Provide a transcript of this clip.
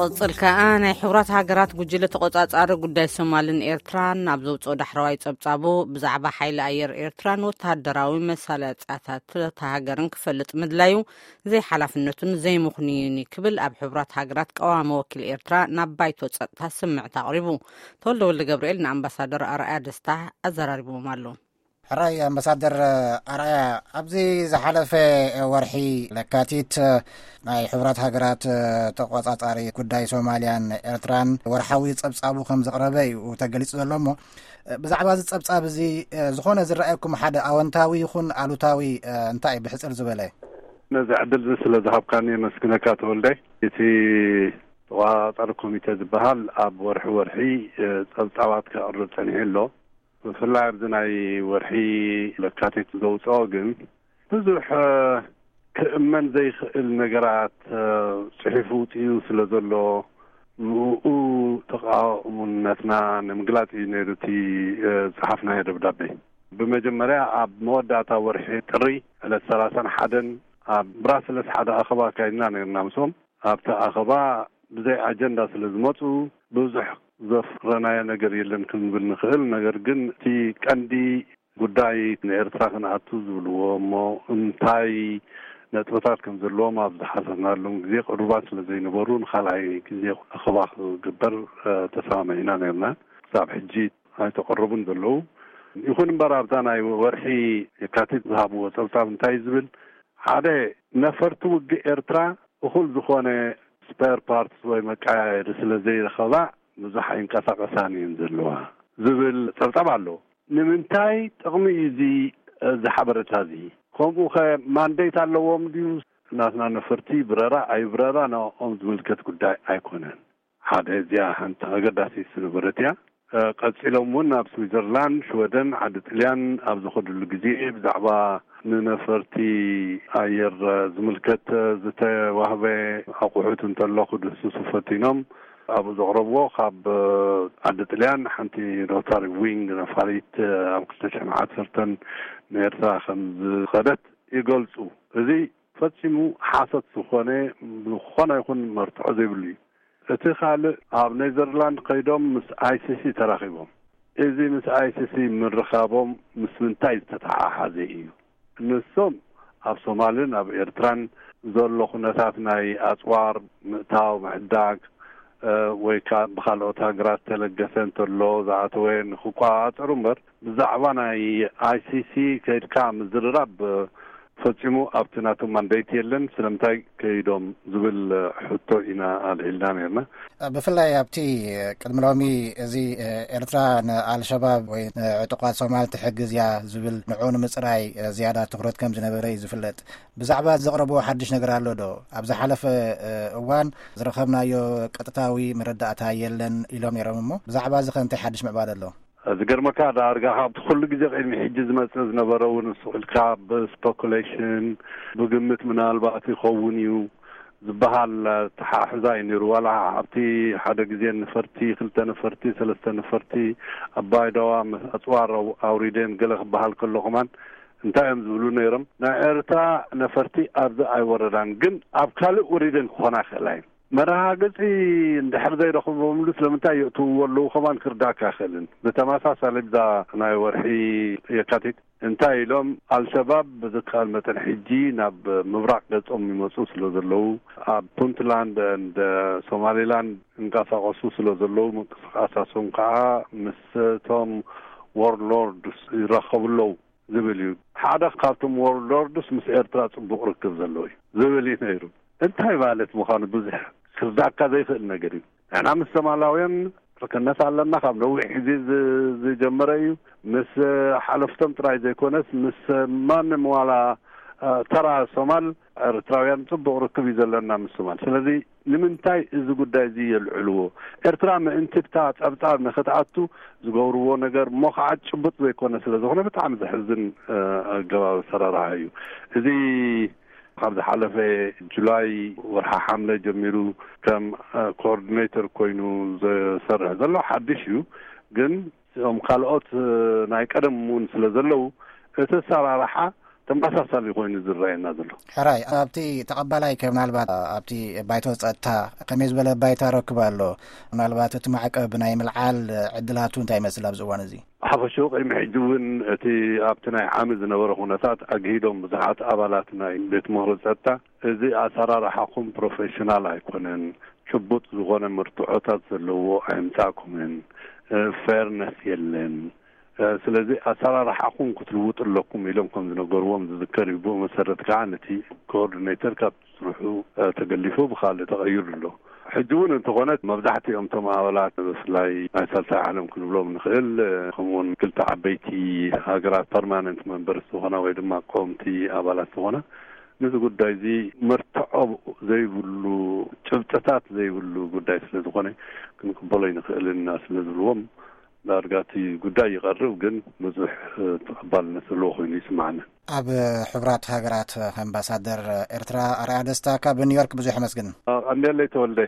ቅጽል ከኣ ናይ ሕቡራት ሃገራት ጉጅለ ተቖጻጻሪ ጉዳይ ሶማልን ኤርትራን ኣብ ዘውጽኦ ዳሕረዋይ ጸብጻቡ፣ ብዛዕባ ሓይሊ ኣየር ኤርትራን ወተሃደራዊ መሳለጥያታት እታ ሃገርን ክፈልጥ ምድላዩ ዘይሓላፍነቱን ዘይምኽኑይን እዩ ክብል ኣብ ሕቡራት ሃገራት ቀዋሚ ወኪል ኤርትራ ናብ ባይቶ ጸጥታ ስምዕት ኣቕሪቡ። ተወልደ ወልደ ገብርኤል ንኣምባሳደር ኣርኣያ ደስታ ኣዘራሪብዎም ኣሎ። ሕራይ ኣምባሳደር ኣርኣያ፣ ኣብዚ ዝሓለፈ ወርሒ ለካቲት ናይ ሕቡራት ሃገራት ተቆጻጻሪ ጉዳይ ሶማልያን ኤርትራን ወርሓዊ ጸብጻቡ ከም ዘቕረበ እዩ ተገሊጹ ዘሎ። እሞ ብዛዕባ እዚ ጸብጻብ እዚ ዝኾነ ዝረኣየኩም ሓደ ኣወንታዊ ይኹን ኣሉታዊ እንታይ እዩ ብሕጽር ዝበለ? ነዚ ዕድል እዚ ስለ ዝሃብካኒ የመስግነካ ተወልደ። እቲ ተቆጻጻሪ ኮሚቴ ዝበሃል ኣብ ወርሒ ወርሒ ጸብጻባት ከቕርብ ጸኒሑ ኣሎ። ብፍላይ ኣብዚ ናይ ወርሒ ለካቲት ዘውፅኦ ግን ብዙሕ ክእመን ዘይኽእል ነገራት ጽሒፉ ውፅኡ ስለ ዘሎ፣ ንኡ ተቃውሞነትና ንምግላጽ እዩ ነይሩ እቲ ዝጸሓፍናዮ ደብዳቤ። ብመጀመርያ ኣብ መወዳእታ ወርሒ ጥሪ ዕለት ሰላሳን ሓደን ኣብ ብራስለስ ሓደ ኣኸባ ኣካይድና ነይርና ምስኦም። ኣብቲ ኣኸባ ብዘይ ኣጀንዳ ስለ ዝመፁ ብዙሕ ዘፍረናዮ ነገር የለን ክንብል ንኽእል። ነገር ግን እቲ ቀንዲ ጉዳይ ንኤርትራ ክንኣቱ ዝብልዎ እሞ እንታይ ነጥብታት ከም ዘለዎም ኣብ ዝሓሰብናሎም ግዜ ቅሩባት ስለ ዘይነበሩ ንኻልኣይ ግዜ ኣኸባ ክግበር ተሰማሚዕና ነርና። ክሳብ ሕጂ ኣይተቐረቡን ዘለዉ። ይኹን እምበር ኣብዛ ናይ ወርሒ የካቲት ዝሃብዎ ጸብጻብ እንታይ ዝብል ሓደ ነፈርቲ ውግእ ኤርትራ እኹል ዝኾነ ስፐር ፓርትስ ወይ መቀያየሪ ስለ ዘይረኸባ ብዙሕ ኣይንቀሳቐሳን እየን ዘለዋ ዝብል ጸብጻብ ኣሎ። ንምንታይ ጥቕሚ እዩ እዚ እዚ ሓበሬታ እዚ? ከምኡ ኸ ማንዴት ኣለዎም ድዩ? ናትና ነፈርቲ ብረራ ኣይብረራ ንኦም ዝምልከት ጉዳይ ኣይኮነን። ሓደ እዚኣ ሓንቲ ኣገዳሲ ዝነበረት እያ። ቀጺሎም እውን ኣብ ስዊዘርላንድ፣ ሽወደን፣ ዓዲ ጥልያን ኣብ ዝኸድሉ ግዜ ብዛዕባ ንነፈርቲ ኣየር ዝምልከት ዝተዋህበ ኣቑሑት እንተሎ ክድህስሱ ፈቲኖም ኣብኡ ዘቕረብዎ ካብ ዓዲ ጥልያን ሓንቲ ሮታሪ ዊንግ ነፋሪት ኣብ ክልተ ሽሕን ዓሰርተን ንኤርትራ ከም ዝኸደት ይገልጹ። እዚ ፈጺሙ ሓሶት ዝኾነ ዝኾነ ይኹን መርትዖ ዘይብሉ እዩ። እቲ ካልእ ኣብ ኔዘርላንድ ከይዶም ምስ ኣይሲሲ ተራኺቦም። እዚ ምስ ኣይሲሲ ምርኻቦም ምስ ምንታይ ዝተተሓሓዘ እዩ? ንሶም ኣብ ሶማልን ኣብ ኤርትራን ዘሎ ኩነታት ናይ ኣጽዋር ምእታው ምዕዳግ ወይ ከዓ ብካልኦት ሃገራት ተለገሰ እንተሎ ዝኣተወ ንክቋጻጸሩ እምበር ብዛዕባ ናይ ኣይሲሲ ከይድካ ምዝርራብ ፈጺሙ ኣብቲ ናቶም ማንዴት የለን። ስለምንታይ ከይዶም ዝብል ሕቶ ኢና ኣልዒልና ነርና። ብፍላይ ኣብቲ ቅድሚ ሎሚ እዚ ኤርትራ ንኣልሸባብ ወይ ንዕጡቓት ሶማል ትሕግዝ እያ ዝብል ንዑ ንምጽራይ ዝያዳ ትኹረት ከም ዝነበረ እዩ ዝፍለጥ። ብዛዕባ ዘቕረብዎ ሓድሽ ነገር ኣሎ ዶ? ኣብ ዝሓለፈ እዋን ዝረኸብናዮ ቀጥታዊ መረዳእታ የለን ኢሎም ነይሮም። እሞ ብዛዕባ እዚ ከ እንታይ ሓድሽ ምዕባለ ኣሎ? ዝገርመካ ዳርጋ ካብቲ ኩሉ ግዜ ቅድሚ ሕጂ ዝመጽእ ዝነበረ እውን ንሱ ኢልካ ብስፐኩሌሽን ብግምት ምናልባት ይኸውን እዩ ዝበሃል ተሓሕዛ እዩ ነይሩ። ዋላ ኣብቲ ሓደ ግዜ ነፈርቲ፣ ክልተ ነፈርቲ፣ ሰለስተ ነፈርቲ ኣባይ ደዋ ምስ ኣጽዋር ኣው- ኣውሪደን ገለ ክበሃል ከሎ ከማን እንታይ እዮም ዝብሉ ነይሮም? ናይ ኤርትራ ነፈርቲ ኣብዚ ኣይወረዳን፣ ግን ኣብ ካልእ ወሪደን ክኾና ይኽእላ እየን። መረጋገጺ እንድሕር ዘይረኽቦምሉ ስለምንታይ የእትውዎ ኣለዉ ከማን ክርዳእካ ኣይኽእልን። ብተመሳሳሊ ብዛ ናይ ወርሒ የካቲት እንታይ ኢሎም ኣልሸባብ ብዝከኣል መጠን ሕጂ ናብ ምብራቕ ገጾም ይመጹ ስለ ዘለዉ ኣብ ፑንትላንድ እንደ ሶማሊላንድ እንቀሳቐሱ ስለ ዘለዉ ምንቅስቃሳቶም ከዓ ምስቶም ዎርሎርድስ ይራኸቡ ኣለዉ ዝብል እዩ። ሓደ ካብቶም ዎርሎርድስ ምስ ኤርትራ ጽቡቕ ርክብ ዘለዎ እዩ ዝብል እዩ ነይሩ። እንታይ ማለት ምዃኑ ብዙሕ ክርዳእካ ዘይኽእል ነገር እዩ። ንሕና ምስ ሶማላውያን ርክነት ኣለና፣ ካብ ነዊሕ ግዜ ዝ- ዝጀመረ እዩ። ምስ ሓለፍቶም ጥራይ ዘይኮነስ ምስ ማንም ዋላ እ፣ ተራ ሶማል ኤርትራውያን ጽቡቕ ርክብ እዩ ዘለና ምስ ሶማል። ስለዚ ንምንታይ እዚ ጉዳይ እዚ የልዕልዎ? ኤርትራ ምእንቲ ብታ ጸብጻብ ንኽትኣቱ ዝገብርዎ ነገር እሞ ከዓ ጭቡጥ ዘይኮነ ስለ ዝኾነ ብጣዕሚ ዘሕዝን እ፣ ኣገባብ ኣሰራርሓ እዩ። እዚ ካብ ዝሓለፈ ጁላይ ወርሓ ሓምለ ጀሚሩ ከም ኮኦርዲኔተር ኮይኑ ዝሰርሕ ዘሎ ሓድሽ እዩ። ግን እዞም ካልኦት ናይ ቀደም እውን ስለ ዘለዉ እቲ ኣሰራርሓ ተመሳሳሊ ኮይኑ ዝረኣየና ዘሎ። ሕራይ ኣብቲ ተቐባላይ ከ ምናልባት ኣብቲ ባይቶ ጸጥታ ከመይ ዝበለ ባይታ ረክብ ኣሎ? ምናልባት እቲ ማዕቀብ ናይ ምልዓል ዕድላቱ እንታይ ይመስል ኣብዚ እዋን እዚ? ሓፈሽኡ ቅድሚ ሕጂ እውን እቲ ኣብቲ ናይ ዓሚ ዝነበረ ኩነታት ኣግሂዶም ብዙሓት ኣባላት ናይ ቤት ምኽሪ ጸጥታ፣ እዚ ኣሰራርሓኹም ፕሮፌሽናል ኣይኮነን፣ ጭቡጥ ዝኾነ መርትዖታት ዘለዎ ኣይምጻእኩምን፣ ፌርነስ የለን፣ ስለዚ ኣሰራርሓኹም ክትልውጡ ኣለኩም ኢሎም ከም ዝነገርዎም ዝዝከር እዩ። ብኡ መሰረት ከዓ ነቲ ኮኦርዲኔተር ካብ ስርሑ ተገሊፉ ብካልእ ተቐይሩ ኣሎ። ሕጂ እውን እንተኾነ መብዛሕትኦም እቶም ኣባላት ብፍላይ ናይ ሳልሳይ ዓለም ክንብሎም ንኽእል፣ ከምኡውን ክልተ ዓበይቲ ሃገራት ፐርማነንት መንበርስ ዝኾና ወይ ድማ ቀወምቲ ኣባላት ዝኾና፣ ነዚ ጉዳይ እዚ መርትዖ ዘይብሉ፣ ጭብጥታት ዘይብሉ ጉዳይ ስለ ዝኾነ ክንቅበሎ ኣይንኽእልን ኢና ስለ ዝብልዎም፣ ዳርጋ እቲ ጉዳይ ይቐርብ፣ ግን ብዙሕ ተቐባልነት ዘለዎ ኮይኑ ይስምዓኒ። ኣብ ሕቡራት ሃገራት ኣምባሳደር ኤርትራ ኣርኣያ ደስታ ካብ ኒውዮርክ ብዙሕ የመስግን። ቀንዴለይ ተወልደ።